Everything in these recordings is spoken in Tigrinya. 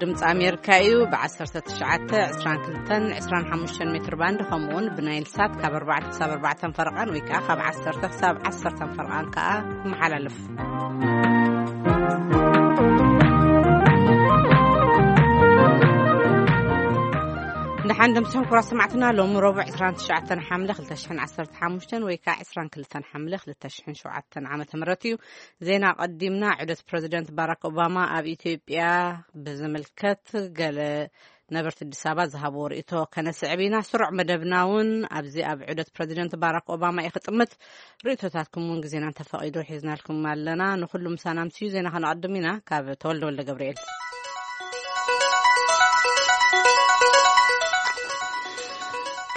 ድምፂ ኣሜሪካ እዩ። ብ1922 25 ሜትር ባንድ፣ ከምኡ እውን ብናይል ሳት ካብ ኣርባዕተ ክሳብ ኣርባዕተ ፈረቓን ወይ ከዓ ካብ ዓሰርተ ክሳብ ዓሰርተ ፈረቓን ከዓ ይመሓላለፍ። ንሓንደ ምሳኹም ኩራ ሰማዕትና፣ ሎሚ ረቡዕ 29 ሓምለ 2015 ወይ ከዓ 22 ሓምለ 2007 ዓመተ ምህረት እዩ። ዜና ቀዲምና። ዑደት ፕረዚደንት ባራክ ኦባማ ኣብ ኢትዮጵያ ብዝምልከት ገለ ነበርቲ ኣዲስ ኣበባ ዝሃብዎ ርእይቶ ከነስዕብ ኢና። ስሩዕ መደብና እውን ኣብዚ ኣብ ዑደት ፕረዚደንት ባራክ ኦባማ እዩ ክጥምት። ርእይቶታትኩም እውን ግዜና እንተፈቒዱ ሒዝናልኩም ኣለና። ንኹሉ ምሳና ምስዩ ዜና ከነቐድም ኢና። ካብ ተወልደ ወልደ ገብርኤል።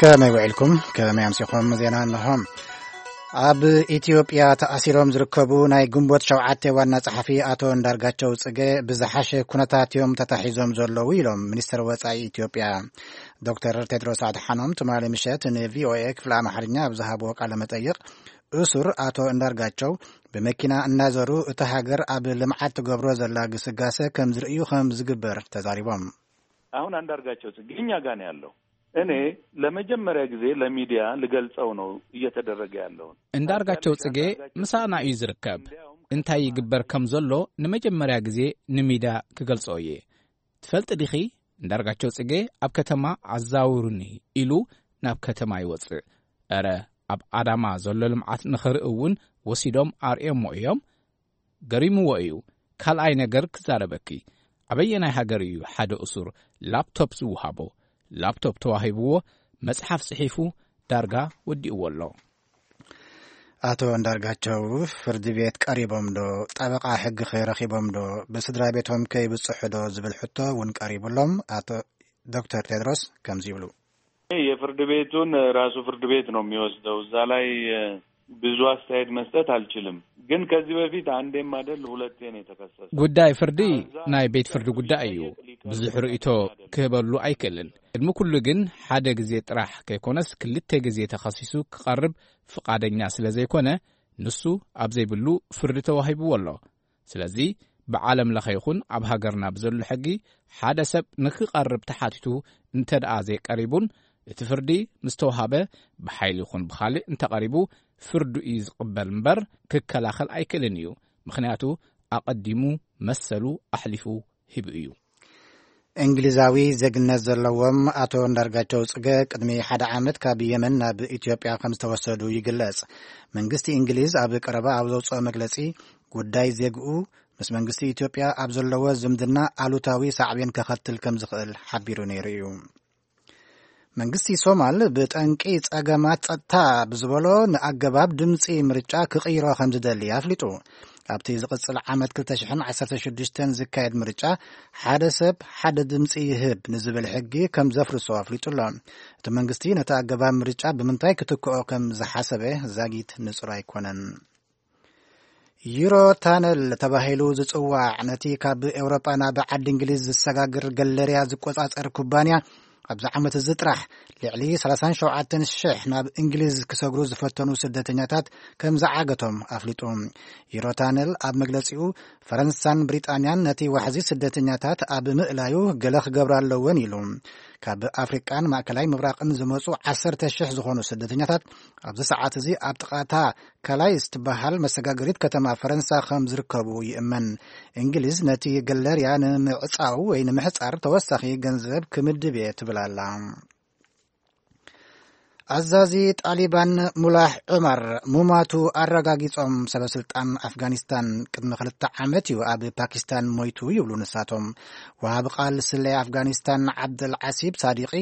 ከመይ ውዒልኩም? ከመይ ኣምሲኹም? ዜና እንሆ። ኣብ ኢትዮጵያ ተኣሲሮም ዝርከቡ ናይ ግንቦት ሸውዓተ ዋና ጸሓፊ ኣቶ እንዳርጋቸው ጽጌ ብዝሓሸ ኩነታት እዮም ተታሒዞም ዘለዉ ኢሎም ሚኒስትር ወጻኢ ኢትዮጵያ። ዶክተር ቴድሮስ ኣድሓኖም ትማሊ ምሸት ንቪኦኤ ክፍሊ ኣምሓርኛ ኣብ ዝሃብዎ ቃለ መጠይቕ፣ እሱር ኣቶ እንዳርጋቸው ብመኪና እናዘሩ እታ ሃገር ኣብ ልምዓት ትገብሮ ዘላ ግስጋሰ ከም ዝርእዩ ከም ዝግበር ተዛሪቦም። አሁን አንዳርጋቸው ጽጌ እኛ ጋ ነው ያለው። እኔ ለመጀመሪያ ጊዜ ለሚዲያ ልገልጸው ነው እየተደረገ ያለውን። እንዳርጋቸው ጽጌ ምሳና እዩ ዝርከብ። እንታይ ይግበር ከም ዘሎ ንመጀመሪያ ግዜ ንሚድያ ክገልጾ እየ። ትፈልጥ ዲኺ? እንዳርጋቸው ጽጌ ኣብ ከተማ ኣዛውሩኒ ኢሉ ናብ ከተማ ይወጽእ። እረ፣ ኣብ ኣዳማ ዘሎ ልምዓት ንኽርኢ እውን ወሲዶም ኣርእዮሞ እዮም። ገሪምዎ እዩ። ካልኣይ ነገር ክዛረበኪ፣ ኣበየናይ ሃገር እዩ ሓደ እሱር ላፕቶፕ ዝወሃቦ? ላፕቶፕ ተዋሂብዎ፣ መጽሓፍ ጽሒፉ፣ ዳርጋ ወዲእዎ ኣሎ። ኣቶ እንዳርጋቸው ፍርዲ ቤት ቀሪቦም ዶ? ጠበቃ ሕጊ ከ ረኺቦም ዶ? ብስድራ ቤቶም ከ ይብጽሑ ዶ ዝብል ሕቶ እውን ቀሪቡሎም። ኣቶ ዶክተር ቴድሮስ ከምዚ ይብሉ። የፍርድ ቤቱን ራሱ ፍርድ ቤት ነው የሚወስደው። እዛ ላይ ብዙ አስተያየት መስጠት አልችልም። ግን ከዚህ በፊት አንዴም አይደል ሁለቴ ነው የተከሰሰው። ጉዳይ ፍርዲ ናይ ቤት ፍርዲ ጉዳይ እዩ። ብዙሕ ርእይቶ ክህበሉ ኣይክእልን። ቅድሚ ኩሉ ግን ሓደ ግዜ ጥራሕ ከይኮነስ ክልተ ግዜ ተኸሲሱ ክቐርብ ፍቓደኛ ስለ ዘይኮነ፣ ንሱ ኣብ ዘይብሉ ፍርዲ ተዋሂብዎ ኣሎ። ስለዚ ብዓለም ለኸ ይኹን ኣብ ሃገርና ብዘሎ ሕጊ ሓደ ሰብ ንክቐርብ ተሓቲቱ እንተ ደኣ ዘይቀሪቡን እቲ ፍርዲ ምስ ተዋሃበ ብሓይሊ ይኹን ብኻልእ እንተቐሪቡ ፍርዱ እዩ ዝቕበል እምበር ክከላኸል ኣይክእልን እዩ። ምኽንያቱ ኣቐዲሙ መሰሉ ኣሕሊፉ ሂቡ እዩ። እንግሊዛዊ ዜግነት ዘለዎም ኣቶ እንዳርጋቸው ጽገ ቅድሚ ሓደ ዓመት ካብ የመን ናብ ኢትዮጵያ ከም ዝተወሰዱ ይግለጽ። መንግስቲ እንግሊዝ ኣብ ቀረባ ኣብ ዘውጽኦ መግለጺ፣ ጉዳይ ዜግኡ ምስ መንግስቲ ኢትዮጵያ ኣብ ዘለዎ ዝምድና ኣሉታዊ ሳዕቤን ከኸትል ከም ዝኽእል ሓቢሩ ነይሩ እዩ። መንግስቲ ሶማል ብጠንቂ ጸገማት ጸጥታ ብዝበሎ ንኣገባብ ድምጺ ምርጫ ክቕይሮ ከም ዝደሊ ኣፍሊጡ። ኣብቲ ዝቕጽል ዓመት ክልተ ሽሕን ዓሰርተ ሽዱሽተን ዝካየድ ምርጫ ሓደ ሰብ ሓደ ድምጺ ይህብ ንዝብል ሕጊ ከም ዘፍርሶ ኣፍሊጡ ኣሎ። እቲ መንግስቲ ነቲ ኣገባብ ምርጫ ብምንታይ ክትክኦ ከም ዝሓሰበ ዛጊት ንጹር ኣይኮነን። ዩሮ ታነል ተባሂሉ ዝጽዋዕ ነቲ ካብ ኤውሮጳ ናብ ዓዲ እንግሊዝ ዝሰጋግር ገለርያ ዝቆጻጸር ኩባንያ፣ ኣብዚ ዓመት እዚ ጥራሕ ልዕሊ ሰላሳን ሸውዓተን ሽሕ ናብ እንግሊዝ ክሰግሩ ዝፈተኑ ስደተኛታት ከም ዝዓገቶም ኣፍሊጡ። ዩሮ ታነል ኣብ መግለጺኡ፣ ፈረንሳን ብሪጣንያን ነቲ ዋሕዚ ስደተኛታት ኣብ ምእላዩ ገለ ክገብራ ኣለወን ኢሉ። ካብ ኣፍሪቃን ማእከላይ ምብራቕን ዝመጹ ዓሰርተ ሽሕ ዝኾኑ ስደተኛታት ኣብዚ ሰዓት እዚ ኣብ ጥቓታ ካላይስ ትበሃል መሰጋገሪት ከተማ ፈረንሳ ከም ዝርከቡ ይእመን። እንግሊዝ ነቲ ገለርያ ንምዕጻው ወይ ንምሕጻር ተወሳኺ ገንዘብ ክምድብ እየ ትብል ኣላ። ኣዛዚ ጣሊባን ሙላሕ ዑመር ሙማቱ ኣረጋጊጾም። ሰበስልጣን ኣፍጋኒስታን ቅድሚ ክልተ ዓመት እዩ ኣብ ፓኪስታን ሞይቱ ይብሉ ንሳቶም። ወሃቢ ቃል ስለያ ኣፍጋኒስታን ዓብደል ዓሲብ ሳዲቂ፣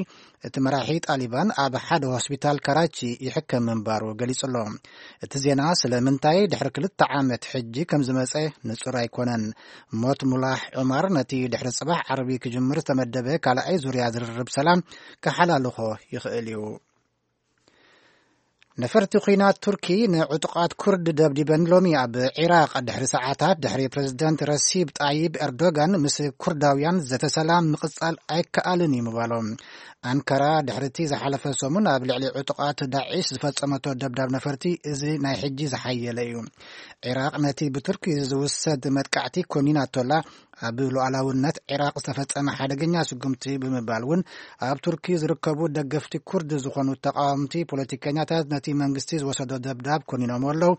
እቲ መራሒ ጣሊባን ኣብ ሓደ ሆስፒታል ካራቺ ይሕከም ምንባሩ ገሊጹ ኣሎ። እቲ ዜና ስለምንታይ ድሕሪ ክልተ ዓመት ሕጂ ከም ዝመጸ ንጹር ኣይኮነን። ሞት ሙላሕ ዑመር ነቲ ድሕሪ ጽባሕ ዓርቢ ክጅምር ዝተመደበ ካልኣይ ዙርያ ዝርርብ ሰላም ክሓላልኾ ይኽእል እዩ። ነፈርቲ ኲናት ቱርኪ ንዕጡቓት ኩርድ ደብዲበን ሎሚ ኣብ ዒራቕ ድሕሪ ሰዓታት ድሕሪ ፕረዚደንት ረሲብ ጣይብ ኤርዶጋን ምስ ኩርዳውያን ዘተ ሰላም ምቕጻል ኣይከኣልን እዩ ምባሎም። ኣንካራ ድሕሪ እቲ ዝሓለፈ ሰሙን ኣብ ልዕሊ ዕጡቓት ዳዒሽ ዝፈጸመቶ ደብዳብ ነፈርቲ እዚ ናይ ሕጂ ዝሓየለ እዩ። ዒራቕ ነቲ ብቱርኪ ዝውሰድ መጥቃዕቲ ኮኒናቶላ ኣብ ሉዓላውነት ዒራቕ ዝተፈጸመ ሓደገኛ ስጉምቲ ብምባል እውን ኣብ ቱርኪ ዝርከቡ ደገፍቲ ኩርድ ዝኾኑ ተቃወምቲ ፖለቲከኛታት ነቲ መንግስቲ ዝወሰዶ ደብዳብ ኮኒኖም ኣለዉ።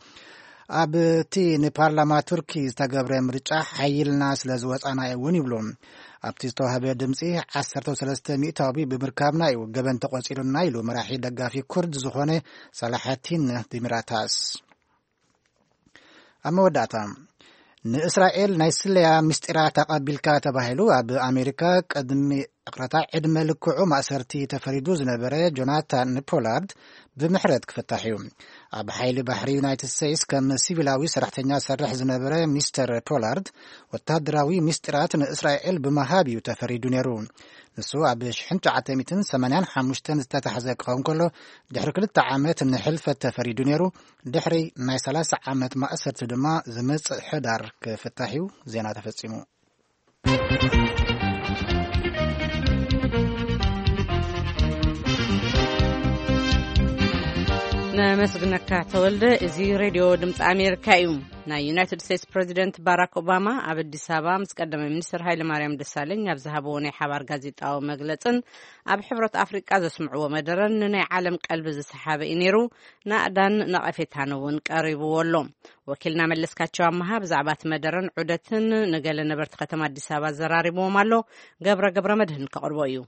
ኣብቲ ንፓርላማ ቱርኪ ዝተገብረ ምርጫ ሓይልና ስለ ዝወጻና እውን ይብሉ። ኣብቲ ዝተዋህበ ድምፂ ዓሰርተ ሰለስተ ሚእታዊ ብምርካብና እዩ ገበን ተቆፂሩና ኢሉ መራሒ ደጋፊ ኩርድ ዝኾነ ሳላሐቲን ዲሚራታስ። ኣብ መወዳእታ፣ ንእስራኤል ናይ ስለያ ምስጢራት ኣቐቢልካ ተባሂሉ ኣብ ኣሜሪካ ቅድሚ ዕቕረታ ዕድመ ልክዑ ማእሰርቲ ተፈሪዱ ዝነበረ ጆናታን ፖላርድ ብምሕረት ክፍታሕ እዩ። ኣብ ሓይሊ ባሕሪ ዩናይትድ ስቴትስ ከም ሲቪላዊ ሰራሕተኛ ዝሰርሕ ዝነበረ ሚስተር ፖላርድ ወታደራዊ ምስጢራት ንእስራኤል ብምሃብ እዩ ተፈሪዱ ነይሩ። ንሱ ኣብ ሽሕን ትሽዓተ ሚእትን ሰማንያን ሓሙሽተን ዝተታሕዘ ክኸውን ከሎ፣ ድሕሪ ክልተ ዓመት ንሕልፈት ተፈሪዱ ነይሩ። ድሕሪ ናይ ሰላሳ ዓመት ማእሰርቲ ድማ ዝመጽእ ሕዳር ክፍታሕ እዩ። ዜና ተፈጺሙ። ነመስግነካ ተወልደ። እዚ ሬድዮ ድምፂ ኣሜሪካ እዩ። ናይ ዩናይትድ ስቴትስ ፕሬዚደንት ባራክ ኦባማ ኣብ ኣዲስ ኣበባ ምስ ቀዳማይ ሚኒስትር ሃይለ ማርያም ደሳለኝ ኣብ ዝሃብዎ ናይ ሓባር ጋዜጣዊ መግለጽን ኣብ ሕብረት ኣፍሪቃ ዘስምዕዎ መደረን ንናይ ዓለም ቀልቢ ዝሰሓበ እዩ ነይሩ። ናእዳን ነቐፌታን እውን ቀሪብዎ ኣሎ። ወኪልና መለስካቸው ኣመሃ ብዛዕባ እቲ መደረን ዑደትን ንገለ ነበርቲ ከተማ ኣዲስ ኣበባ ኣዘራሪብዎም ኣሎ። ገብረ ገብረ መድህን ከቕርቦ እዩ።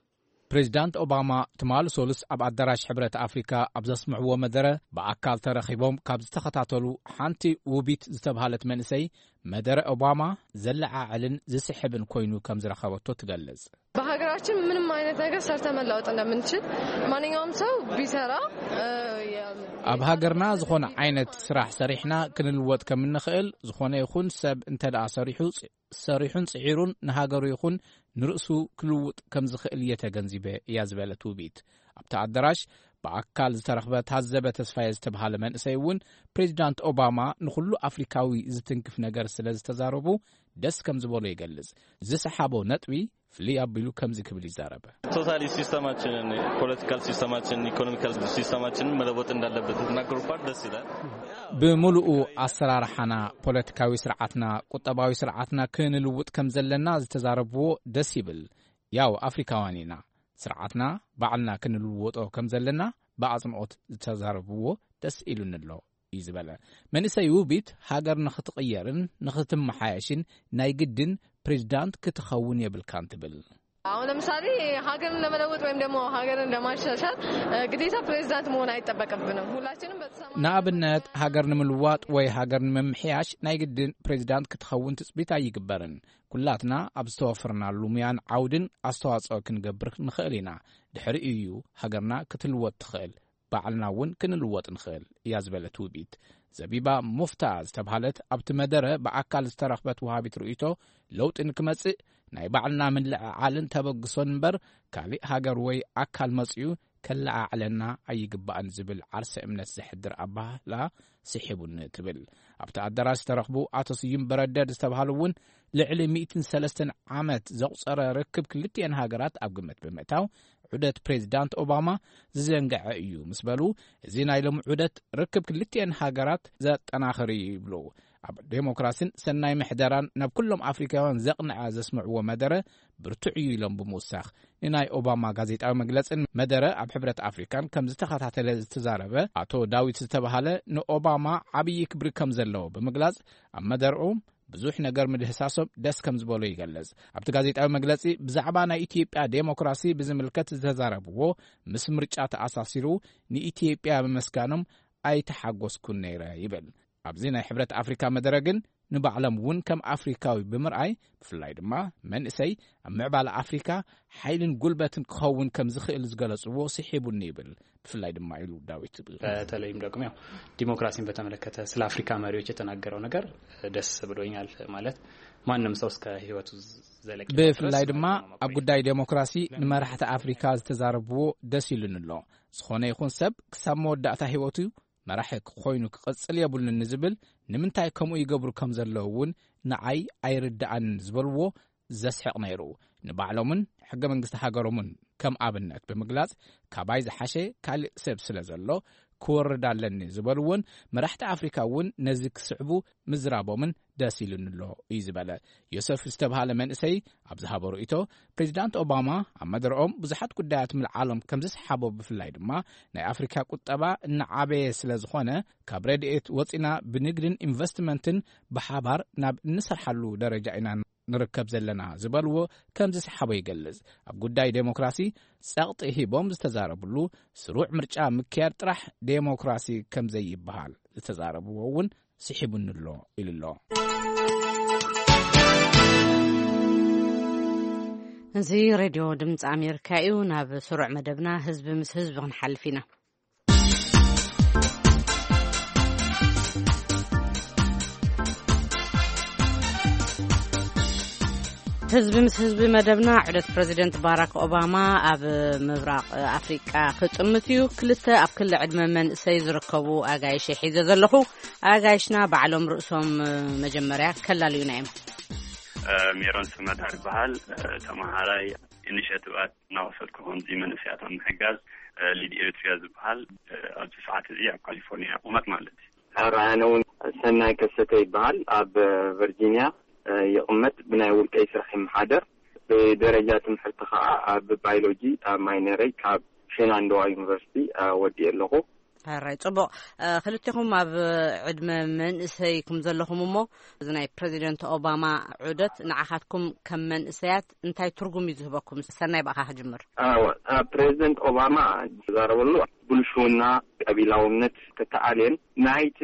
ፕሬዚዳንት ኦባማ ትማሊ ሶሉስ ኣብ ኣዳራሽ ሕብረት ኣፍሪካ ኣብ ዘስምዕዎ መደረ፣ ብኣካል ተረኺቦም ካብ ዝተኸታተሉ ሓንቲ ውቢት ዝተብሃለት መንእሰይ፣ መደረ ኦባማ ዘለዓዕልን ዝስሕብን ኮይኑ ከም ዝረኸበቶ ትገልጽ። በሀገራችን ምንም አይነት ነገር ሰርተ መለወጥ እንደምንችል ማንኛውም ሰው ቢሰራ ኣብ ሃገርና ዝኾነ ዓይነት ስራሕ ሰሪሕና ክንልወጥ ከም እንኽእል፣ ዝኾነ ይኹን ሰብ እንተ ደኣ ሰሪሑ ሰሪሑን ጽዒሩን ንሃገሩ ይኹን ንርእሱ ክልውጥ ከም ዝኽእል እየ ተገንዚበ እያ ዝበለት ውቢት። ኣብቲ ኣዳራሽ ብኣካል ዝተረኽበ ታዘበ ተስፋየ ዝተብሃለ መንእሰይ እውን፣ ፕሬዚዳንት ኦባማ ንኹሉ ኣፍሪካዊ ዝትንክፍ ነገር ስለ ዝተዛረቡ ደስ ከም ዝበሎ ይገልጽ። ዝሰሓቦ ነጥቢ ፍልይ ኣቢሉ ከምዚ ክብል ይዛረበ። ቶታሊ ሲስተማችንን፣ ፖለቲካል ሲስተማችንን ኢኮኖሚካል ሲስተማችንን መለወጥ እንዳለበት ተናገሩ ፓርት ደስ ይላል። ብምሉኡ ኣሰራርሓና፣ ፖለቲካዊ ስርዓትና፣ ቁጠባዊ ስርዓትና ክንልውጥ ከም ዘለና ዝተዛረብዎ ደስ ይብል። ያው ኣፍሪካውያን ኢና፣ ስርዓትና ባዕልና ክንልወጦ ከም ዘለና ብኣጽንኦት ዝተዛረብዎ ደስ ኢሉኒ ኣሎ እዩ ዝበለ። መንእሰይ ውቢት ሃገር ንኽትቕየርን ንኽትመሓየሽን ናይ ግድን ፕሬዚዳንት ክትኸውን የብልካን ትብል። አሁን ለምሳሌ ሀገርን ለመለወጥ ወይም ደግሞ ሀገርን ለማሻሻል ግዴታ ፕሬዚዳንት መሆን አይጠበቅብንም። ሁላችንም በተሰማ ንኣብነት ሃገር ንምልዋጥ ወይ ሃገር ንምምሕያሽ ናይ ግድን ፕሬዚዳንት ክትኸውን ትጽቢት ኣይግበርን። ኩላትና ኣብ ዝተወፈርናሉ ሙያን ዓውድን ኣስተዋጽኦ ክንገብር ንኽእል ኢና። ድሕሪኡ እዩ ሃገርና ክትልወጥ ትኽእል፣ ባዕልና እውን ክንልወጥ ንኽእል እያ ዝበለት ውቢት። ዘቢባ ሙፍታ ዝተብሃለት ኣብቲ መደረ ብኣካል ዝተረኽበት ወሃቢት ርእይቶ፣ ለውጢ ንክመጽእ ናይ ባዕልና ምልዕዓልን ተበግሶን እምበር፣ ካሊእ ሃገር ወይ ኣካል መጺኡ ከለዓዕለና ኣይግባእን ዝብል ዓርሰ እምነት ዘሕድር ኣባህላ ስሒቡኒ ትብል። ኣብቲ ኣዳራሽ ዝተረኽቡ ኣቶ ስዩም በረደድ ዝተብሃሉ እውን፣ ልዕሊ ሚእትን ሰለስተን ዓመት ዘቑጸረ ርክብ ክልቲኤን ሃገራት ኣብ ግምት ብምእታው፣ ዑደት ፕሬዚዳንት ኦባማ ዝዘንግዐ እዩ ምስ በሉ፣ እዚ ናይ ሎሚ ዑደት ርክብ ክልቲኤን ሃገራት ዘጠናኽር እዩ ይብሉ። ኣብ ዴሞክራሲን ሰናይ ምሕደራን ናብ ኩሎም ኣፍሪካውያን ዘቕንዐ ዘስምዕዎ መደረ ብርቱዕ እዩ ኢሎም ብምውሳኽ፣ ንናይ ኦባማ ጋዜጣዊ መግለጽን መደረ ኣብ ሕብረት ኣፍሪካን ከም ዝተኸታተለ ዝተዛረበ ኣቶ ዳዊት ዝተባሃለ፣ ንኦባማ ዓብዪ ክብሪ ከም ዘለዎ ብምግላጽ፣ ኣብ መደርኡ ብዙሕ ነገር ምድህሳሶም ደስ ከም ዝበሎ ይገልጽ። ኣብቲ ጋዜጣዊ መግለጺ ብዛዕባ ናይ ኢትዮጵያ ዴሞክራሲ ብዝምልከት ዝተዛረብዎ፣ ምስ ምርጫ ተኣሳሲሩ ንኢትዮጵያ ምምስጋኖም ኣይተሓጎስኩን ነይረ ይብል። ኣብዚ ናይ ሕብረት ኣፍሪካ መደረ ግን ንባዕሎም እውን ከም ኣፍሪካዊ ብምርኣይ፣ ብፍላይ ድማ መንእሰይ ኣብ ምዕባለ ኣፍሪካ ሓይልን ጉልበትን ክኸውን ከም ዝኽእል ዝገለጽዎ ስሒቡኒ ይብል። ብፍላይ ድማ ኢሉ ዳዊት ዝብል። በተለይም ደግሞ ያው ዲሞክራሲን በተመለከተ ስለ አፍሪካ መሪዎች የተናገረው ነገር ደስ ብሎኛል። ማለት ማንም ሰው እስከ ህይወቱ ዘለቂ ብፍላይ ድማ ኣብ ጉዳይ ዴሞክራሲ ንመራሕቲ ኣፍሪካ ዝተዛረብዎ ደስ ኢሉኒ ኣሎ። ዝኾነ ይኹን ሰብ ክሳብ መወዳእታ ህይወቱ መራሒ ኮይኑ ክቕጽል የብሉን ንዝብል፣ ንምንታይ ከምኡ ይገብሩ ከም ዘለዉ እውን ንዓይ ኣይርድኣንን ዝበልዎ ዘስሕቕ ነይሩ። ንባዕሎምን ሕገ መንግስቲ ሃገሮምን ከም ኣብነት ብምግላጽ፣ ካባይ ዝሓሸ ካልእ ሰብ ስለ ዘሎ ክወርድ ኣለኒ ዝበሉ እውን መራሕቲ ኣፍሪካ እውን ነዚ ክስዕቡ ምዝራቦምን ደስ ኢሉኒ ኣሎ እዩ ዝበለ። ዮሰፍ ዝተብሃለ መንእሰይ ኣብ ዝሃቦ ርእይቶ፣ ፕሬዚዳንት ኦባማ ኣብ መደረኦም ብዙሓት ጉዳያት ምልዓሎም ከም ዝሰሓቦ፣ ብፍላይ ድማ ናይ ኣፍሪካ ቁጠባ እናዓበየ ስለ ዝኾነ፣ ካብ ረድኤት ወፂና ብንግድን ኢንቨስትመንትን ብሓባር ናብ እንሰርሓሉ ደረጃ ኢና ንርከብ ዘለና ዝበልዎ ከም ዝሰሓቦ ይገልጽ። ኣብ ጉዳይ ዴሞክራሲ ጸቕጢ ሂቦም ዝተዛረብሉ፣ ስሩዕ ምርጫ ምክያድ ጥራሕ ዴሞክራሲ ከም ዘይበሃል ዝተዛረብዎ እውን ስሒቡኒ ኣሎ ኢሉ ኣሎ። እዚ ሬድዮ ድምፂ ኣሜሪካ እዩ። ናብ ስሩዕ መደብና ህዝቢ ምስ ህዝቢ ክንሓልፍ ኢና። ህዝቢ ምስ ህዝቢ መደብና፣ ዑደት ፕረዚደንት ባራክ ኦባማ ኣብ ምብራቕ ኣፍሪቃ ክጥምት እዩ። ክልተ ኣብ ክሊ ዕድመ መንእሰይ ዝርከቡ ኣጋይሽ ሒዘ ዘለኹ። ኣጋይሽና ባዕሎም ርእሶም መጀመርያ ከላልዩና እዮም። ሜሮን ስመዳ ይበሃል። ተመሃራይ ኢኒሼቲቫት እናወሰድኩ፣ ከምዚ መንእሰያት ኣብ ምሕጋዝ፣ ሊድ ኤሪትሪያ ዝበሃል፣ ኣብዚ ሰዓት እዚ ኣብ ካሊፎርኒያ እቕመጥ ማለት እዩ። ኣነ እውን ሰናይ ከሰተ ይበሃል። ኣብ ቨርጂኒያ ይቕመጥ። ብናይ ውልቀይ ስራሕ ይመሓደር። ብደረጃ ትምህርቲ ከዓ ኣብ ባዮሎጂ ኣብ ማይነረይ ካብ ሼናንዶዋ ዩኒቨርሲቲ ወዲኤ ኣለኹ። ሕራይ፣ ጽቡቕ። ክልቴኹም ኣብ ዕድመ መንእሰይ ኩም ዘለኹም እሞ፣ እዚ ናይ ፕረዚደንት ኦባማ ዑደት ንዓኻትኩም ከም መንእሰያት እንታይ ትርጉም እዩ ዝህበኩም? ሰናይ፣ ብኣኻ ክጅምር። ኣዎ፣ ኣብ ፕሬዚደንት ኦባማ ዝዛረበሉ፣ ብልሽውና፣ ቀቢላውነት ተተኣልየን ናይቲ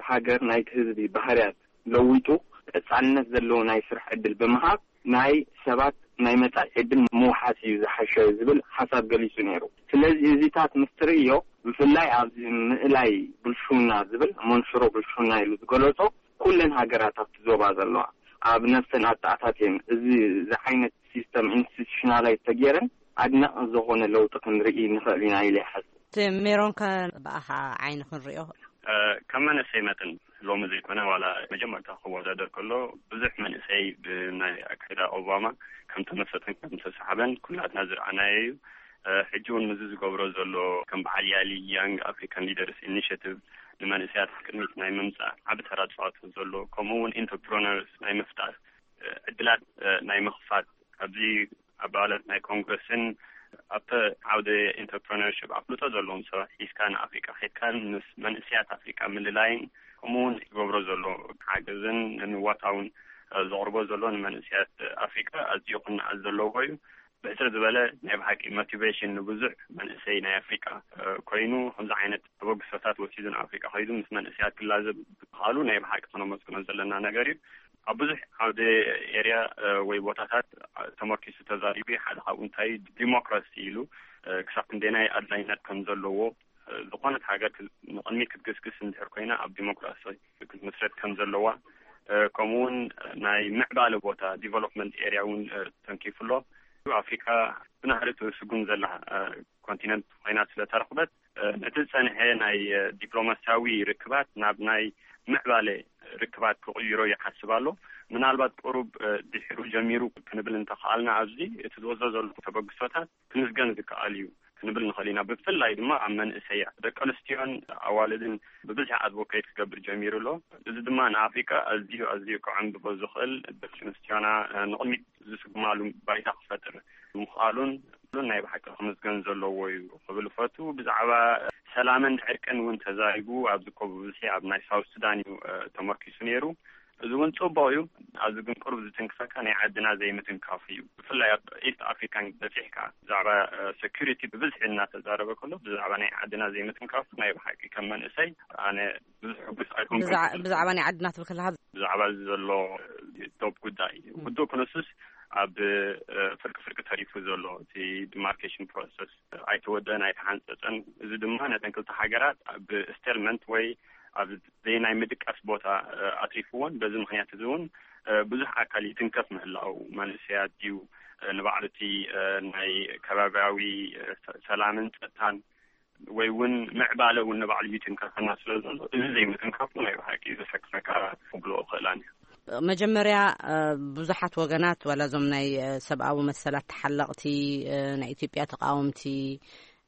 ሃገር፣ ናይቲ ህዝቢ ባህርያት ለዊጡ ቀጻልነት ዘለዎ ናይ ስራሕ ዕድል ብምሃብ፣ ናይ ሰባት ናይ መጻኢ ዕድል ምውሓስ እዩ ዝሓሸ ዝብል ሓሳብ ገሊጹ ነይሩ። ስለዚ እዚታት ምስ ትርእዮ፣ ብፍላይ ኣብዚ ምእላይ ብልሽውና ዝብል፣ መንሽሮ ብልሽውና ኢሉ ዝገለጾ፣ ኩለን ሃገራት ኣብቲ ዞባ ዘለዋ ኣብ ነፍሰን ኣተኣታትየን እዚ ዝዓይነት ሲስተም ኢንስቲቱሽናላይዝ ተገይረን ኣድናቂ ዝኾነ ለውጢ ክንርኢ ንኽእል ኢና ኢለ ይሓስብ። እቲ ሜሮን ከ ብኣኻ ዓይኒ ክንሪኦ? ከም መንእሰይ መጠን ሎሚ ዘይኮነ፣ ዋላ መጀመርታ ክወዳደር ከሎ፣ ብዙሕ መንእሰይ ብናይ ኣካይዳ ኦባማ ከም ተመሰጠን ከም ተሰሓበን ኩላትና ዝረኣናዮ እዩ። ሕጂ እውን ምስዚ ዝገብሮ ዘሎ፣ ከም በዓል ያሊ፣ ያንግ ኣፍሪካን ሊደርስ ኢኒሽቲቭ፣ ንመንእሰያት ቅድሚት ናይ ምምፃእ ዓቢ ተራ ዝፃወት ዘሎ፣ ከምኡ እውን ኢንተርፕረነርስ ናይ ምፍጣር፣ ዕድላት ናይ ምኽፋት፣ ኣብዚ ኣባላት ናይ ኮንግረስን ኣብቲ ዓውደ ኢንተርፕረነርሽፕ ኣፍልጦ ዘለዎም ሰባት ሒዝካ ንኣፍሪቃ ኬድካ ምስ መንእሰያት ኣፍሪቃ ምልላይን፣ ከምኡ እውን ዝገብሮ ዘሎ ሓገዝን ንምዋታውን ዘቕርቦ ዘሎ ንመንእሰያት ኣፍሪቃ ኣዝዩ ክነኣድ ዘለዎ እዩ። ብሕጽር ዝበለ፣ ናይ ብሓቂ ሞቲቬሽን ንብዙሕ መንእሰይ ናይ ኣፍሪቃ ኮይኑ፣ ከምዚ ዓይነት ተበግሶታት ወሲዱ ንኣፍሪቃ ከይዱ ምስ መንእሰያት ክላዘብ ምኽኣሉ ናይ ብሓቂ ክነመስግኖ ዘለና ነገር እዩ። ኣብ ብዙሕ ዓውደ ኤርያ ወይ ቦታታት ተመርኪሱ ተዛሪቡ እዩ። ሓደ ካብኡ እንታይ ዲሞክራሲ ኢሉ፣ ክሳብ ክንደየናይ ኣድላይነት ከም ዘለዎ፣ ዝኾነት ሃገር ክ-፣ ንቕድሚት ክትግስግስ እንድሕር ኮይና ኣብ ዲሞክራሲ ክትምስረት ከም ዘለዋ፣ ከምኡ እውን ናይ ምዕባለ ቦታ ዲቨሎፕመንት ኤርያ እውን ተንኪፉ ኣሎ። ኣፍሪካ ብናህሪ ትስጉም ዘላ ኮንቲነንት ኮይና ስለተረኽበት፣ ነቲ ዝጸንሐ ናይ ዲፕሎማሲያዊ ርክባት ናብ ናይ ምዕባለ ርክባት ክቕይሮ ይሓስብ ኣሎ። ምናልባት ቁሩብ ድሒሩ ጀሚሩ ክንብል እንተኽኣልና፣ ኣብዚ እቲ ዝወስዶ ዘሎ ተበግሶታት ክምስገን ዝከኣል እዩ ክንብል ንኽእል ኢና። ብፍላይ ድማ ኣብ መንእሰያ፣ ደቂ ኣንስትዮን ኣዋልድን ብብዝሒ ኣድቮኬት ክገብር ጀሚሩ ኣሎ። እዚ ድማ ንኣፍሪካ ኣዝዩ፣ ኣዝዩ ከዐንብቦ ዝኽእል፣ ደቂ ኣንስትዮና ንቕድሚት ዝስጉማሉ ባይታ ክፈጥር ምኽኣሉን ናይ ብሓቂ ክምስገን ዘለዎ እዩ ክብል እፈቱ። ብዛዕባ ሰላምን ዕርቅን እውን ተዛሪቡ፣ ኣብዚ እኮ ብብዝሒ ኣብ ናይ ሳውት ሱዳን እዩ ተመርኪሱ ነይሩ። እዚ እውን ጽቡቕ እዩ። ኣብዚ ግን ቅሩብ ዝትንክፈካ ናይ ዓድና ዘይምትንካፉ እዩ። ብፍላይ ኣብ ኢስት ኣፍሪካን በጺሕካ፣ ብዛዕባ ሴኩሪቲ ብብዝሒ እናተዛረበ ከሎ፣ ብዛዕባ ናይ ዓድና ዘይምትንካፉ ናይ ብሓቂ ከም መንእሰይ ኣነ ብዙሕ ሕጉስ ኣይኮንኩን። ብዛዕ-፣ ብዛዕባ ናይ ዓድና ትብል ከለኻ? ብዛዕባ እዚ ዘሎ ዶብ ጉዳይ፣ ውድብ ክነሱስ ኣብ ፍርቂ ፍርቂ ተሪፉ ዘሎ፣ እቲ ዲማርኬሽን ፕሮሰስ ኣይተወደአን ኣይተሓንጸጸን። እዚ ድማ ነተን ክልተ ሃገራት ኣብ ስቴልመንት ወይ ኣብ ዘይናይ ምድቃስ ቦታ ኣትሪፍዎን፣ በዚ ምኽንያት እዚ እውን ብዙሕ ኣካል ይትንከፍ ምህላው፣ መንእሰያት ድዩ፣ ንባዕሉ እቲ ናይ ከባቢያዊ ሰላምን ጸጥታን ወይ እውን ምዕባለ እውን ንባዕሉ ይትንከፈና ስለ ዘሎ፣ እዚ ዘይምትንካፉ ናይ ብሓቂ ዘሰክፈካ ክብሎ እኽእላን እየ። መጀመርያ ብዙሓት ወገናት፣ ዋላ እዞም ናይ ሰብኣዊ መሰላት ተሓለቕቲ፣ ናይ ኢትዮጵያ ተቃወምቲ፣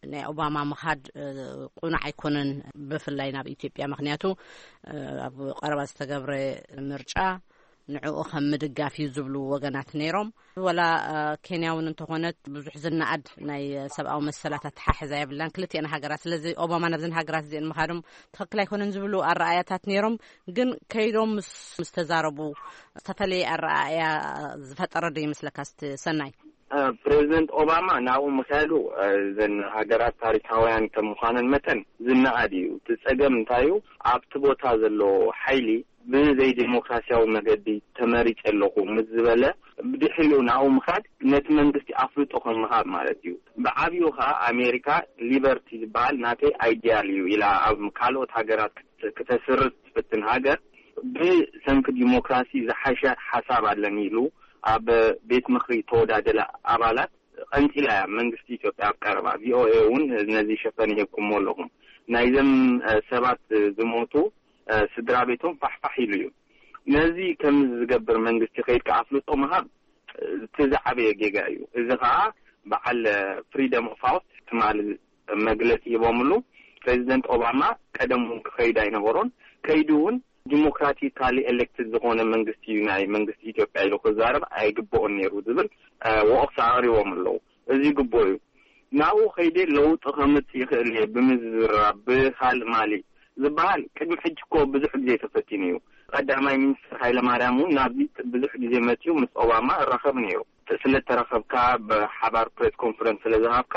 ናይ ኦባማ ምኻድ እ፣ ቁኑዕ ኣይኮነን፣ ብፍላይ ናብ ኢትዮጵያ። ምኽንያቱ እ፣ ኣብ ቀረባ ዝተገብረ ምርጫ ንዕኡ ከም ምድጋፍ እዩ ዝብሉ ወገናት ነይሮም። ወላ እ፣ ኬንያ እውን እንተኾነት ብዙሕ ዝነኣድ ናይ ሰብኣዊ መሰላት ኣተሓሕዛ የብላን ክልቲኤን ሃገራት። ስለዚ ኦባማ ናብዘን ሃገራት እዚአን ምኻዶም ትኽክል ኣይኮነን ዝብሉ ኣረኣያታት ነይሮም። ግን ከይዶም ምስ ምስ ተዛረቡ ዝተፈለየ ኣረኣእያ ዝፈጠረ ዶ ይመስለካ? እስቲ ሰናይ። ፕሬዚደንት ኦባማ ናብኡ ምክያዱ እዘን ሃገራት ታሪካውያን ከም ምዃነን መጠን ዝነኣድ እዩ። እቲ ጸገም እንታይ እዩ? ኣብቲ ቦታ ዘሎ ሓይሊ ብዘይ ዴሞክራሲያዊ መገዲ ተመሪጸ ኣለኹ ምስ ዝበለ፣ ብድሕሪኡ ናብኡ ምኻድ ነቲ መንግስቲ ኣፍልጦ ከም ምሃብ ማለት እዩ። ብዓብዩ ከኣ ኣሜሪካ ሊበርቲ ዝበሃል ናተይ ኣይዲያል እዩ ኢላ ኣብ ካልኦት ሃገራት ክተ- ክተስርጽ ትፍትን ሃገር ብሰንኪ ዲሞክራሲ ዝሓሸ ሓሳብ ኣለኒ ኢሉ ኣብ ቤት ምኽሪ ተወዳደለ ኣባላት ቀንጺላ እያ መንግስቲ ኢትዮጵያ ኣብ ቀረባ። ቪኦኤ እውን ነዚ ሸፈን ይህብኩሞ ኣለኹም። ናይዘም ሰባት ዝሞቱ ስድራ ቤቶም ፋሕፋሕ ኢሉ እዩ። ነዚ ከም ዝገብር መንግስቲ ከይድካ ኣፍልጦ ምሃብ እቲ ዝዓበየ ጌጋ እዩ። እዚ ከዓ በዓል ፍሪደም ኦፍ ሃውስ ትማሊ መግለፂ ሂቦምሉ። ፕሬዚደንት ኦባማ ቀደም እውን ክኸይድ ኣይነበሮን። ከይዱ እውን ዲሞክራቲካሊ ኤሌክትድ ዝኾነ መንግስቲ እዩ ናይ መንግስቲ ኢትዮጵያ ኢሉ ክዛረብ ኣይግብኦን ነይሩ ዝብል ወቕሳ ኣቕሪቦም ኣለዉ። እዚ ግቡእ እዩ። ናብኡ ከይደ ለውጢ ከምጽእ ይኽእል እየ ብምዝራብ ብካልእ ማሊ ዝበሃል ቅድሚ ሕጂ እኮ ብዙሕ ግዜ ተፈቲኑ እዩ። ቀዳማይ ሚኒስትር ሃይለማርያም እውን ናብዚ ብዙሕ ግዜ መፅዩ ምስ ኦባማ እራኸብ ነይሩ። ስለተራኸብካ ብሓባር ፕሬስ ኮንፈረንስ ስለዝሃብካ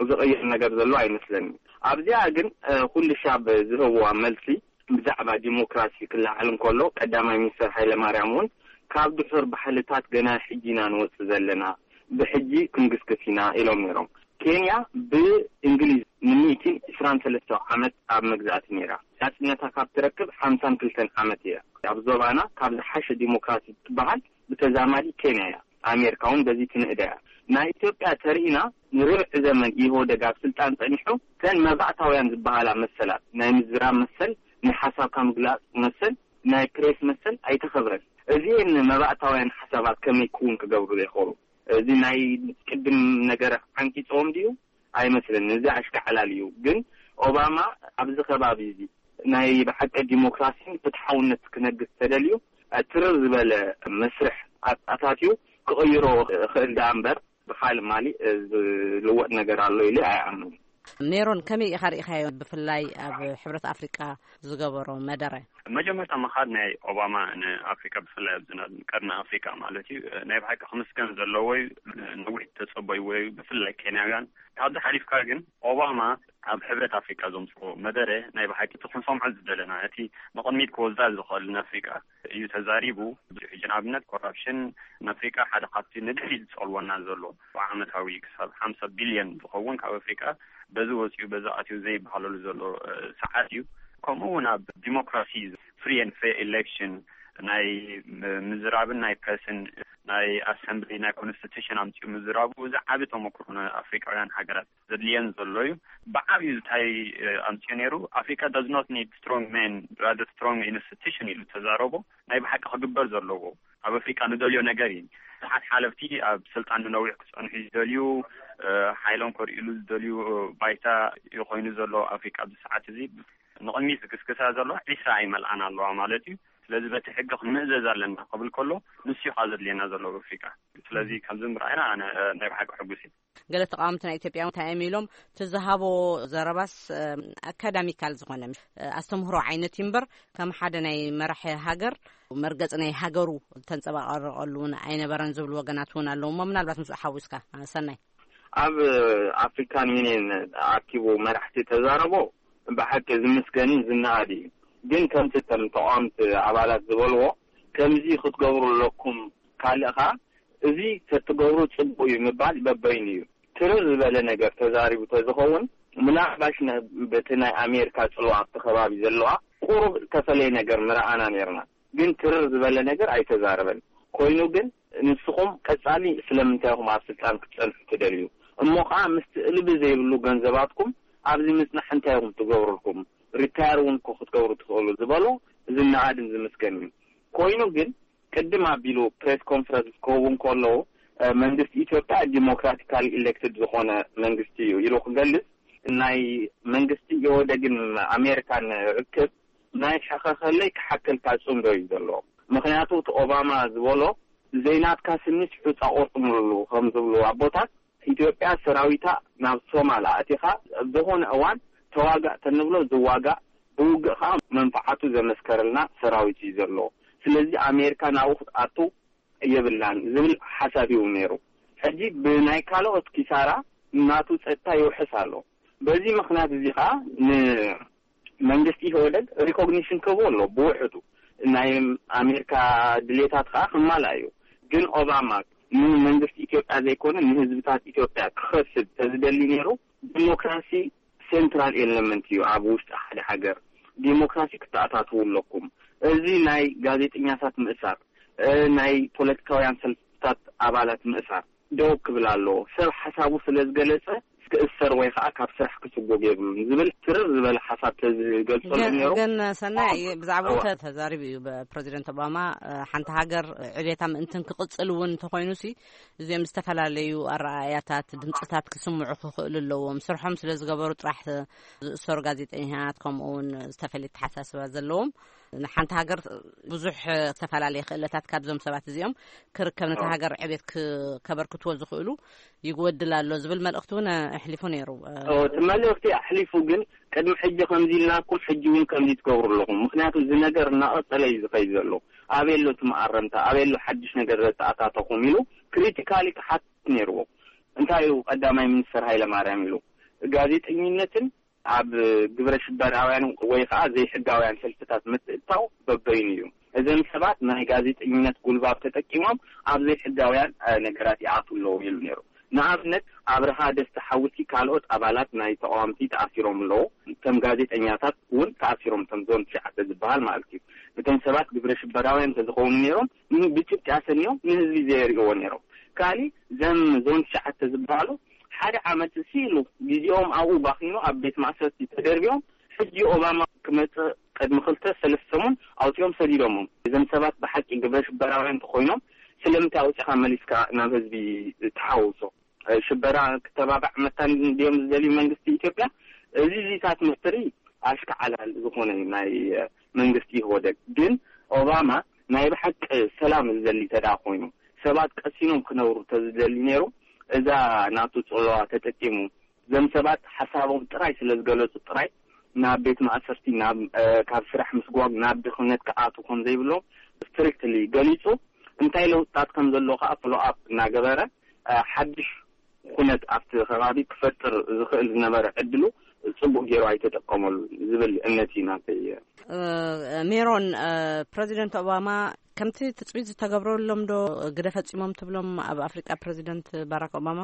ዝቕየር ነገር ዘሎ ኣይመስለኒ። ኣብዚኣ ግን ኩልሻብ ዝህብዋ መልሲ ብዛዕባ ዲሞክራሲ ክለዓል እንከሎ ቀዳማይ ሚኒስትር ሃይለማርያም እውን ካብ ድሑር ባህልታት ገና ሕጂ ኢና ንወፅእ ዘለና፣ ብሕጂ ክንግስግስ ኢና ኢሎም ነይሮም። ኬንያ ብእንግሊዝ ንሚእትን ዕስራን ሰለስተ ዓመት ኣብ መግዛእቲ ነይራ። ናፅነታ ካብ ትረክብ ሓምሳን ክልተን ዓመት እያ። ኣብ ዞባና ካብ ዝሓሸ ዲሞክራሲ ትበሃል ብተዛማዲ ኬንያ እያ። ኣሜሪካ እውን በዚ ትንእዳ እያ። ናይ ኢትዮጵያ ተርኢና ንርብዒ ዘመን ኢህወደግ ኣብ ስልጣን ጸኒሑ፣ እተን መባእታውያን ዝበሃላ መሰላት፣ ናይ ምዝራብ መሰል፣ ናይ ሓሳብካ ምግላጽ መሰል፣ ናይ ፕሬስ መሰል ኣይተኸብረን። እዚኤን መባእታውያን ሓሳባት ከመይ ክውን ክገብሩ ዘይኽእሉ? እዚ ናይ ቅድም ነገር ዓንቂጾም ድዩ? ኣይመስልን። እዚ ኣሽካዕላል እዩ። ግን ኦባማ ኣብዚ ከባቢ እዚ ናይ ብሓቂ ዲሞክራሲን ፍትሓውነት ክነግስ ተደልዩ፣ ትርር ዝበለ መስርሕ ኣታትዩ ክቕይሮ ክእል ደኣ እምበር፣ ብኻልእ ማሊእ ዝልወጥ ነገር ኣሎ ኢለ ኣይኣምንን። ሜሮን፣ ከመይ ኢኻ ርኢኻዮ? ብፍላይ ኣብ ሕብረት ኣፍሪቃ ዝገበሮ መደረ። መጀመርታ ምኻድ ናይ ኦባማ ንኣፍሪቃ፣ ብፍላይ ኣብዚ ናብ ቀርኒ ኣፍሪቃ ማለት እዩ፣ ናይ ብሓቂ ክምስገን ዘለዎ እዩ። ነዊሕ ተጸበይዎ እዩ፣ ብፍላይ ኬንያውያን። ካብዚ ሓሊፍካ ግን ኦባማ ኣብ ሕብረት ኣፍሪቃ ዘምጽኦ መደረ ናይ ብሓቂ እቲ ክንሰምዖ ዝደለና፣ እቲ ንቕድሚት ክወስዳ ዝኽእል ንኣፍሪቃ እዩ ተዛሪቡ። ብዙሕ ሕጂ ንኣብነት ኮራፕሽን ንኣፍሪቃ ሓደ ካብቲ ንድሕሪት ዝጸልወና ዘሎ፣ ብዓመታዊ ክሳብ ሓምሳ ቢልዮን ዝኸውን ካብ ኣፍሪቃ በዚ ወጺኡ በዚ ኣትዩ ዘይበሃለሉ ዘሎ፣ እ፣ ሰዓት እዩ። ከምኡ እውን ኣብ ዲሞክራሲ፣ ፍሪ ኤንድ ፌር ኤሌክሽን፣ ናይ ም-፣ ምዝራብን ናይ ፕረስን፣ ናይ ኣሰምብሊ፣ ናይ ኮንስቲቱሽን ኣምጺኡ ምዝራቡ፣ እዚ ዓቢ ተመክሮ ንኣፍሪቃውያን ሃገራት ዘድልየን ዘሎ እዩ። ብዓብዩ እንታይ፣ እ፣ ኣምጺኡ ነይሩ? Africa does not need strong men, rather strong institution ኢሉ ተዛረቦ። ናይ ብሓቂ ክግበር ዘለዎ፣ ኣብ ኣፍሪቃ ንደልዮ ነገር እዩ። ብዙሓት ሓለፍቲ ኣብ ስልጣን ንነዊሕ ክጸንሑ ዝደልዩ፣ እ፣ ሓይሎም ከርእሉ ዝደልዩ፣ እ፣ ባይታ እዩ ኮይኑ ዘሎ ኣፍሪቃ ኣብዚ ሰዓት እዚ። ንቕድሚት ዝግስግሳ ዘሎ ዒስራ ኣይመልኣን ኣለዋ ማለት እዩ። ስለዚ በቲ ሕጊ ክንምእዘዝ ኣለና ክብል ከሎ ንሱ እዩ ከኣ ዘድልየና ዘሎ ኣብ ኣፍሪቃ። ስለዚ ካብዚ ምርኣይና ኣነ፣ እ፣ ናይ ብሓቂ ሕጉስ እዩ። ገለ ተቃወምቲ ናይ ኢትዮጵያ እንታይ እዮም ኢሎም? እቲ ዝሃቦ ዘረባስ፣ እ፣ ኣካዳሚካል ዝኾነ፣ እ፣ ኣስተምህሮ ዓይነት እዩ እምበር ከም ሓደ ናይ መራሒ ሃገር መርገጺ ናይ ሃገሩ ተንጸባቐረቐሉ እውን ኣይነበረን ዝብሉ ወገናት እውን ኣለዉ እሞ ምናልባት ምስኡ ሓዊስካ፣ እ፣ ሰናይ። ኣብ ኣፍሪካን ዩኒየን ኣኪቡ መራሕቲ ተዛረቦ ብሓቂ ዝምስገንን ዝነኣድ እዩ። ግን ከምቲ እቶም ተቃወምቲ ኣባላት ዝበልዎ ከምዚ ክትገብሩ ኣለኩም ካልእኻ እዚ ተትገብሩ ጽቡቕ እዩ ምባል በበይኑ እዩ። ትርር ዝበለ ነገር ተዛሪቡ ተዝኸውን ምናልባሽ ነ-፣ በቲ ናይ ኣሜሪካ ጽልዋ ኣብቲ ከባቢ ዘለዋ ቁሩብ ዝተፈለየ ነገር ምረኣና ነርና። ግን ትርር ዝበለ ነገር ኣይተዛረበን። ኮይኑ ግን ንስኹም ቀጻሊ ስለምንታይ ኢኹም ኣብ ስልጣን ክትጸንሑ ትደልዩ? እሞ ኸኣ ምስቲ እልቢ ዘይብሉ ገንዘባትኩም ኣብዚ ምጽናሕ እንታይ ኢኹም ትገብሩልኩም? ሪታየር እውን እኮ ክትገብሩ ትኽእሉ ዝበሎ ዝነኣድን ዝምስገን እዩ። ኮይኑ ግን ቅድም ኣቢሉ ፕሬስ ኮንፈረንስ ክህቡ እንከለዉ፣ እ፣ መንግስቲ ኢትዮጵያ ዲሞክራቲካሊ ኢሌክትድ ዝኾነ መንግስቲ እዩ ኢሉ ክገልጽ፣ ናይ መንግስቲ ኢህወደግን ኣሜሪካን ርክብ ናይ ሕኸኸለይ ክሓከልካ ጽምዶ እዩ ዘሎ። ምኽንያቱ እቲ ኦባማ ዝበሎ ዘይናትካ ስኒስ ሑጻ ቆርጥምሉ ከም ዝብሉ ኣቦታት፣ ኢትዮጵያ ሰራዊታ ናብ ሶማል ኣእቲኻ ኣብ ዝኾነ እዋን ተዋጋእ ተንብሎ ዝዋጋእ፣ ብውግእ ኸዓ መንፍዓቱ ዘመስከረልና ሰራዊት እዩ ዘሎ። ስለዚ ኣሜሪካ ናብኡ ክትኣቱ የብላን ዝብል ሓሳብ እዩ ነይሩ። ሕጂ ብናይ ካልኦት ኪሳራ ናቱ ጸጥታ ይውሕስ ኣሎ። በዚ ምኽንያት እዚ ኸዓ ንመንግስቲ ኢህወደግ ሪኮግኒሽን ክህቦ ኣሎ ብውሕዱ። ናይ ኣሜሪካ ድሌታት ኸዓ ክማልኣ እዩ። ግን ኦባማ ንመንግስቲ ኢትዮጵያ ዘይኮነ ንህዝብታት ኢትዮጵያ ክኸስብ ተዝደሊ ነይሩ፣ ዲሞክራሲ ሴንትራል ኤለመንት እዩ ኣብ ውሽጢ ሓደ ሃገር። ዲሞክራሲ ክተኣታትዉ ኣለኩም። እዚ ናይ ጋዜጠኛታት ምእሳር፣ እ፣ ናይ ፖለቲካውያን ሰልፍታት ኣባላት ምእሳር ደው ክብል ኣለዎ። ሰብ ሓሳቡ ስለ ዝገለጸ ክእሰር ወይ ኸዓ ካብ ስራሕ ክስጎግ የብሉን ዝብል ትርር ዝበለ ሓሳብ ተዝገልጸሉ ግን ነይሩ። ግን ሰናይ፣ ብዛዕባኡ እዋ። ተ- ተዛሪቡ እዩ። ፕሬዚደንት ኦባማ፣ እ፣ ሓንቲ ሃገር ዕቤታ ምእንትን ክቕጽል እውን እንተኾይኑ ሲ እዚኦም ዝተፈላለዩ ኣረኣእያታት፣ ድምፅታት ክስምዑ ክኽእሉ ኣለዎም። ስርሖም ስለ ዝገበሩ ጥራሕ ዝእሰሩ ጋዜጠኛታት፣ ከምኡ እውን ዝተፈለየ ተሓሳስባ ዘለዎም፣ ንሓንቲ ሃገር ብዙሕ ዝተፈላለየ ክእለታት ካብዞም ሰባት እዚኦም ክርከብ፣ ነታ ኦ። ሃገር ዕቤት ክ- ከበርክትዎ ዝኽእሉ ይጎድል ኣሎ ዝብል መልእኽቲ እውን ኣሕሊፉ ነይሩ። ኦ፣ እቲ መልእኽቲ ኣሕሊፉ፣ ግን ቅድሚ ሕጂ ከምዚ ኢልናኩም፣ ሕጂ እውን ከምዚ ትገብሩ ኣለኹም። ምኽንያቱ እዚ ነገር እናቐጸለ እዩ ዝኸይድ ዘሎ። ኣበይ ኣሎ እቲ መኣረምታ? ኣበይ ኣሎ ሓድሽ ነገር ዘተኣታተኹም? ኢሉ ክሪቲካሊ ክሓትት ነይርዎ። እንታይ እዩ ቀዳማይ ሚኒስተር ሃይለማርያም ኢሉ? ጋዜጠኝነትን ኣብ ግብረ ሽበራውያን ወይ ከዓ ዘይሕጋውያን ሰልፍታት ምትእትታው በበይኑ እዩ። እዘን ሰባት ናይ ጋዜጠኝነት ጉልባብ ተጠቂሞም ኣብ ዘይሕጋውያን፣ እ፣ ነገራት ይኣትዉ ኣለዉ ኢሉ ነይሩ። ንኣብነት ኣብርሃ ደስታ ሓውሲ ካልኦት ኣባላት ናይ ተቃዋምቲ ተኣሲሮም ኣለዉ። ከም ጋዜጠኛታት እውን ተኣሲሮም፣ ከም ዞን ትሽዓተ ዝበሃል ማለት እዩ። እቶም ሰባት ግብረ ሽበራውያን እንተዝኾኑ ነይሮም ን- ብጭብጢ ኣሰንዮም ንህዝቢ ዘየርእይዎ ነይሮም። ካሊ ዘም ዞን ትሽዓተ ዝበሃሉ ሓደ ዓመት እሲ ኢሉ ግዜኦም ኣብኡ ባኺኑ ኣብ ቤት ማእሰርቲ ተደርቢዮም። ሕጂ ኦባማ ክመጽእ ቅድሚ ክልተ ሰለስተ ሰሙን ኣውጺኦም ሰዲዶሞም። እዞም ሰባት ብሓቂ ግብረ ሽበራውያን እንተኾይኖም ስለምንታይ ኣውጺኻ መሊስካ ናብ ህዝቢ ትሓውሶ? ሽበራ ክተባባዕ መታን ድዮም ዝደልዩ መንግስቲ ኢትዮጵያ? እዚ ዚታት ምስትሪ ኣሽካዓላል ዝኾነ እዩ ናይ መንግስቲ ኢህወደግ። ግን ኦባማ ናይ ብሓቂ ሰላም ዝደሊ ተዳ ኮይኑ ሰባት ቀሲኖም ክነብሩ ተዝደሊ ነይሩ እዛ ናቱ ጽለዋ ተጠቂሙ ዘም ሰባት ሓሳቦም ጥራይ ስለ ዝገለጹ ጥራይ ናብ ቤት ማእሰርቲ፣ ናብ፣ እ፣ ካብ ስራሕ ምስጓግ፣ ናብ ድኽነት ክኣቱ ከም ዘይብሎም ስትሪክትሊ ገሊጹ፣ እንታይ ለውጥታት ከም ዘሎ ከኣ ፎሎ ኣፕ እናገበረ፣ እ፣ ሓድሽ ኩነት ኣብቲ ከባቢ ክፈጥር ዝኽእል ዝነበረ ዕድሉ ጽቡቅ ገይሩ ኣይተጠቀመሉ ዝብል እምነት እዩ ናተይ። እ፣ ሜሮን፣ እ፣ ፕረዚደንት ኦባማ ከምቲ ትጽቢት ዝተገብረሎም ዶ ግደ ፈጺሞም ትብሎም ኣብ ኣፍሪቃ ፕረዚደንት ባራክ ኦባማ?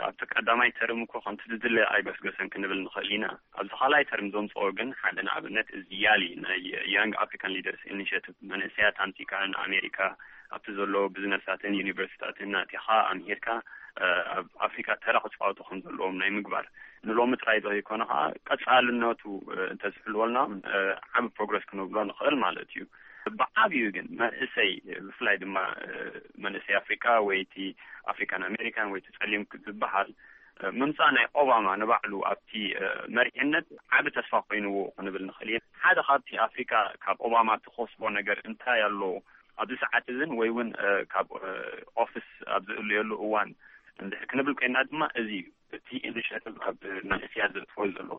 ኣብቲ ቀዳማይ ተርም እኮ ከምቲ ዝድለ ኣይገስገሰን ክንብል ንኽእል ኢና። ኣብዚ ካልኣይ ተርም ዘምፅኦ ግን ሓደ ንኣብነት እዚ ያሊ ናይ ያንግ ኣፍሪካን ሊደርስ ኢኒሽቲቭ መንእሰያት ኣምፂካ ንኣሜሪካ ኣብቲ ዘለዎ ቢዝነሳትን ዩኒቨርሲቲታትን ኣቲኻ ኣምሂርካ ኣብ ኣፍሪካ ተራ ክፃወቱ ከም ዘለዎም ናይ ምግባር ንሎሚ ጥራይ ዘይኮነ ከዓ ቀፃልነቱ እንተዝሕልወልና ዓብ ፕሮግረስ ክንብሎ ንኽእል ማለት እዩ። ብዓብዩ ግን መንእሰይ ብፍላይ ድማ መንእሰይ ኣፍሪካ ወይ እቲ ኣፍሪካን ኣሜሪካን ወይ እቲ ፀሊም ዝበሃል ምምፃእ ናይ ኦባማ ንባዕሉ ኣብቲ መሪሕነት ዓብ ተስፋ ኮይንዎ ክንብል ንኽእል ኢና። ሓደ ካብቲ ኣፍሪካ ካብ ኦባማ ትኸስቦ ነገር እንታይ ኣሎ ኣብዚ ሰዓት እዝን ወይ እውን ካብ ኦፊስ ኣብ ዝእለየሉ እዋን እንድሕር ክንብል ኮይና ድማ እዚ እዩ። እቲ ኢኒሽቲቭ ኣብ መንእሰያት ዘጥፈሉ ዘሎ።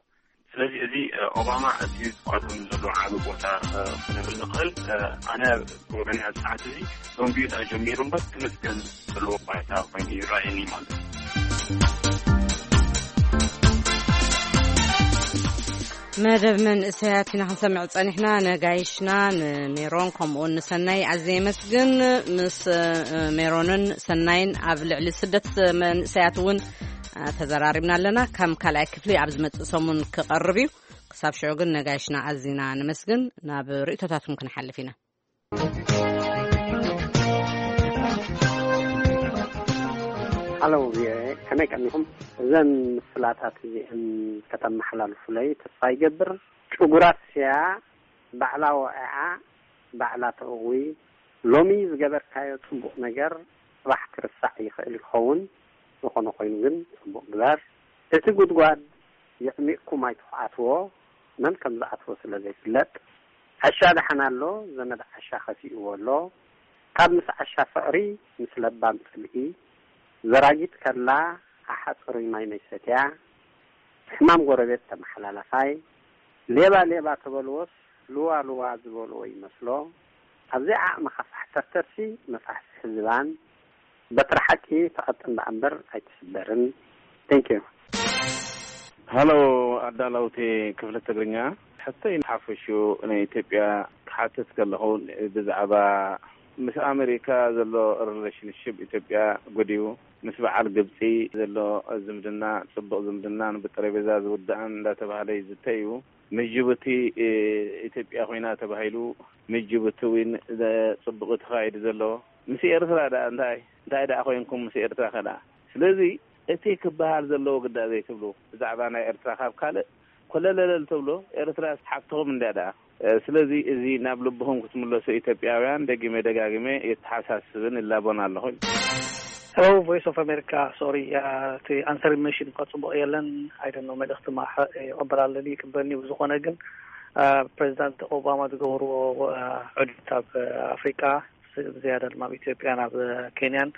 ስለዚ እዚ ኦባማ ኣዝዩ ዝቋደም ዘሎ ዓብ ቦታ ክንብል ንኽእል። ኣነ ወገን ኣብ ሰዓት እዚ ደንጉዩ ጀሚሩ እምበር ክምስገን ዘለዎ ባይታ ኮይኑ ይረኣየኒ ማለት እዩ። መደብ መንእሰያት ኢና ክንሰምዕ ጸኒሕና። ነጋይሽና ንሜሮን ከምኡውን ንሰናይ ኣዝየ የመስግን። ምስ ሜሮንን ሰናይን ኣብ ልዕሊ ስደት መንእሰያት እውን ተዘራሪብና ኣለና። ከም ካልኣይ ክፍሊ ኣብ ዝመጽእ ሰሙን ክቐርብ እዩ። ክሳብ ሽዑ ግን ነጋይሽና ኣዚና ነመስግን። ናብ ርእይቶታትኩም ክንሓልፍ ኢና። ሃሎ ቪኦኤ፣ ከመይ ቀኒኹም? እዘን ምስላታት እዚአን ከተመሓላልፉለይ ተስፋ ይገብር። ጭጉራት ስያ ባዕላ ወቒዓ ባዕላ ተእዊ። ሎሚ ዝገበርካዮ ጽቡቕ ነገር ጽባሕ ክርሳዕ ይኽእል ይኸውን፣ ዝኾነ ኮይኑ ግን ጽቡቕ ግበር። እቲ ጉድጓድ የዕሚቕኩም ኣይትኹዓትዎ። መን ከም ዝኣትዎ ስለ ዘይፍለጥ፣ ዓሻ ደሓን ኣሎ፣ ዘመድ ዓሻ ከፊእዎ ኣሎ። ካብ ምስ ዓሻ ፍቕሪ፣ ምስ ለባም ጽልኢ፣ ዘራጊት ከላ ኣሓ ጽሩይ ማይ መይሰትያ፣ ሕማም ጎረቤት ተመሓላላፋይ፣ ሌባ ሌባ ተበልዎስ፣ ልዋ ልዋ ዝበልዎ ይመስሎ። ኣብዚ ዓቕሚ ከፋሕተርተርሲ መፋሕፍሒ ዝባን፣ በትሪ ሓቂ ትቐጥን ደኣ እምበር ኣይትስበርን። Thank you። ሃሎ፣ ኣዳለውቲ ክፍሊ ትግርኛ፣ ሕቶይ ሓፈሹ ናይ ኢትዮጵያ ክሓትት ከለኹ፣ ብዛዕባ ምስ ኣሜሪካ ዘሎ ሪሌሽንሽፕ ኢትዮጵያ ጎዲዩ፣ ምስ በዓል ግብፂ ዘሎ ዝምድና፣ ፅቡቕ ዝምድናን ብጠረጴዛ ዝውዳእን እንዳተባሃለ ይዝተ እዩ። ምስ ጅቡቲ፣ እ፣ ኢትዮጵያ ኮይና ተባሂሉ፣ ምስ ጅቡቲ እውን ዘ-፣ ፅቡቕ ተኻይዱ ዘሎ። ምስ ኤርትራ ደኣ እንታይ፣ እንታይ ደኣ ኮይንኩም ምስ ኤርትራ ከ ደኣ? ስለዚ እቲ ክበሃል ዘለዎ ግዳ ዘይትብሉ፣ ብዛዕባ ናይ ኤርትራ ካብ ካልእ ኮለለለል ተብሎ፣ ኤርትራ ሓፍትኹም እንድያ ደኣ። እ፣ ስለዚ እዚ ናብ ልብኹም ክትምለሱ ኢትዮጵያውያን፣ ደጊመ ደጋጊመ የተሓሳስብን እላቦን ኣለኹ። Hello, Voice of America. Sorry, uh, እቲ answering machine እኳ ጽቡቕ የለን። I don't know፣ መልእኽቲ ማሕ ይቕበል ኣለኒ፣ ይቅበልኒ። ብዝኾነ ግን፣ uh፣ ፕሬዚዳንት ኦባማ ዝገበርዎ፣ uh፣ ዑደት ኣብ ኣፍሪቃ፣ ስ-፣ ብዝያዳ ድማ ኣብ ኢትዮጵያን ኣብ ኬንያን፣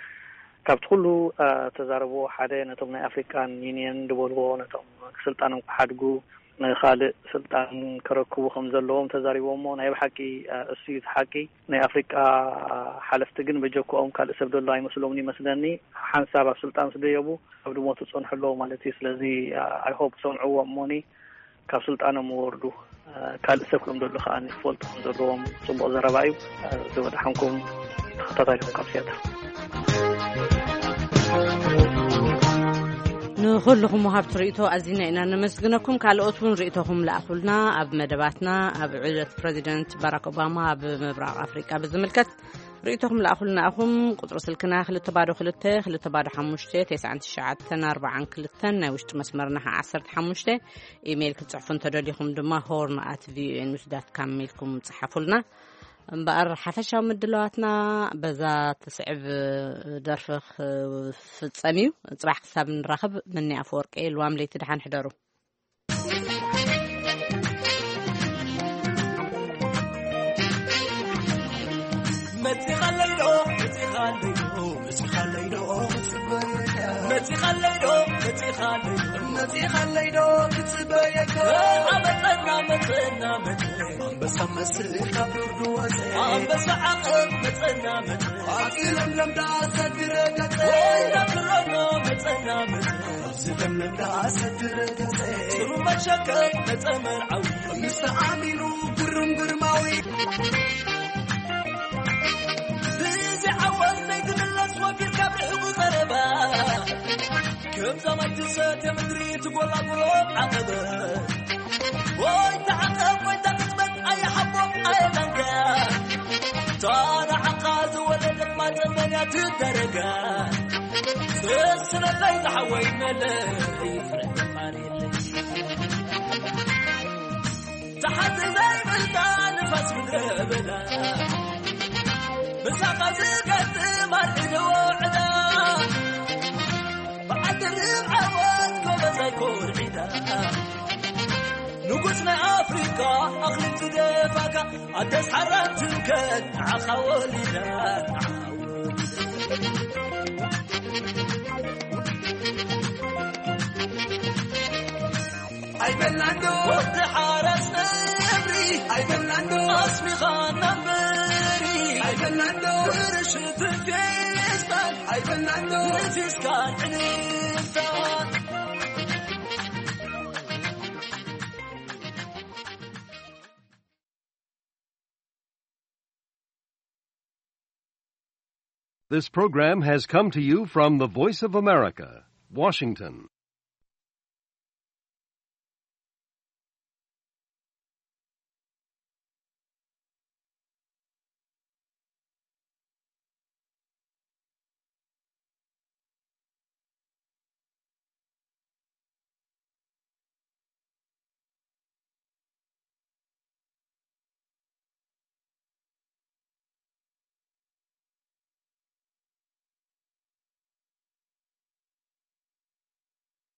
ካብቲ ኩሉ፣ uh፣ ተዛረብዎ ሓደ፣ ነቶም ናይ ኣፍሪካን ዩኒየን ዝበልዎ፣ ነቶም ስልጣኖም ክሓድጉ፣ ንኻልእ ስልጣን ከረክቡ ከም ዘለዎም ተዛሪቦሞ። ናይ ብሓቂ፣ uh፣ እሱ እዩ እቲ ሓቂ። ናይ ኣፍሪቃ ሓለፍቲ ግን በጀክኦም ካልእ ሰብ ዘሎ ኣይመስሎምን ይመስለኒ። ሓንሳብ ኣብ ስልጣን ምስ ደየቡ፣ ኣብ ድሞቱ ጸንሑ ኣለዉ ማለት እዩ። ስለዚ፣ I hope ሰምዕዎ እሞኒ ካብ ስልጣኖም ይወርዱ። ካልእ ሰብ ከም ዘሎ ከኣ ክፈልጡ ከም ዘለዎም። ጽቡቕ ዘረባ እዩ። ዝወደሓንኩም ተኸታታሊኹም ካብ ሲያትል። ንኹልኹም ወሃብቲ ርእይቶ ኣዚና ኢና ነመስግነኩም። ካልኦት እውን ርእይቶኹም ለኣኹልና። ኣብ መደባትና ኣብ ዑደት ፕረዚደንት ባራክ ኦባማ ኣብ ምብራቕ ኣፍሪቃ ብዝምልከት ርእይቶኹም ለኣኹልና ኢኹም። ቁጽሪ ስልክና ክልተ ባዶ ክልተ፣ ክልተ ባዶ ሓሙሽተ፣ ተስዓን ትሽዓተን ኣርባዓን ክልተን፣ ናይ ውሽጢ መስመርና ኸዓ ዓሰርተ ሓሙሽተ። ኢሜይል ክትጽሕፉ እንተደሊኹም ድማ ሆርን ኣት ቪኦኤ ኒውስ ዳት ካም ኢልኩም ጽሓፉልና። እምበኣር ሓፈሻዊ ምድላዋትና በዛ ትስዕብ ደርፊ ክፍጸም እዩ። ጽባሕ ክሳብ ንራኸብ፣ ምኒ ኣፈወርቂ፣ ልዋም ለይቲ ደሓን ሕደሩ። መጺኻለይ ዶ፣ መጺኻለይ ዶ፣ መጺኻለይ ዶ፣ መጺኻለይ ዶ፣ መጺኻለይ ዶ፣ መጺኻለይ ዶ፣ ክጽበየካ። ኣመጸና፣ መጸና፣ መጸና። ኣንበሳ መስል ካብ ዱር ዝወጸ። ኣንበሳ ዓቐብ መጸና፣ መጸና። ኣብዚ ለምለም ዳስ ኣድረገጸ። ወይና ክረኖ መጸና፣ መጸና። ኣብዚ ለምለም ዳስ ኣድረገጸ። ጽሩ መሸከ መጸ መርዓዊ። ምስ ተኣሚኑ ግርም ግርማዊ። ብዚ ዓወት ዘይትምለስ ወፊርካ ብርሕቁ ቀረባ። ከም ዛማይ ትሰተ ምድሪ ትጎላጉሎ ዓቐበ። ወይ ተዓቐብ ወይ ተቅጽበት ኣየ ሓቦ ኣየ ዳንጋ። ታና ዓኻ ዝወለደት ማጸመንያ ትደረጋ። ስስነለይ ዝሓወይ መለይ ፍረ ተፋሪለይ። ተሓቲ ዘይብልካ ንፋስ ምድረ በዳ። ምሳኻ ዝገጥም ኣርዒዶ ዕዳ። ብዓዲ ርብዓወት ጎበዛይ ኮርዒዳ። ንጉስ ናይ ኣፍሪቃ ኣኽሊል ዝደፋካ። ኣደስ ሓራን ትምከን ንዓኻ ወሊዳ። ኣይበላንዶ ወዲ ሓራስ ነብሪ። ኣይበላንዶ ኣስሚኻና እምበሪ። ኣይበላንዶ ብርሽቲ ፌስታል። ኣይበላንዶ ንፊስካን ዕልልታ። This program has come to you from the Voice of America, Washington.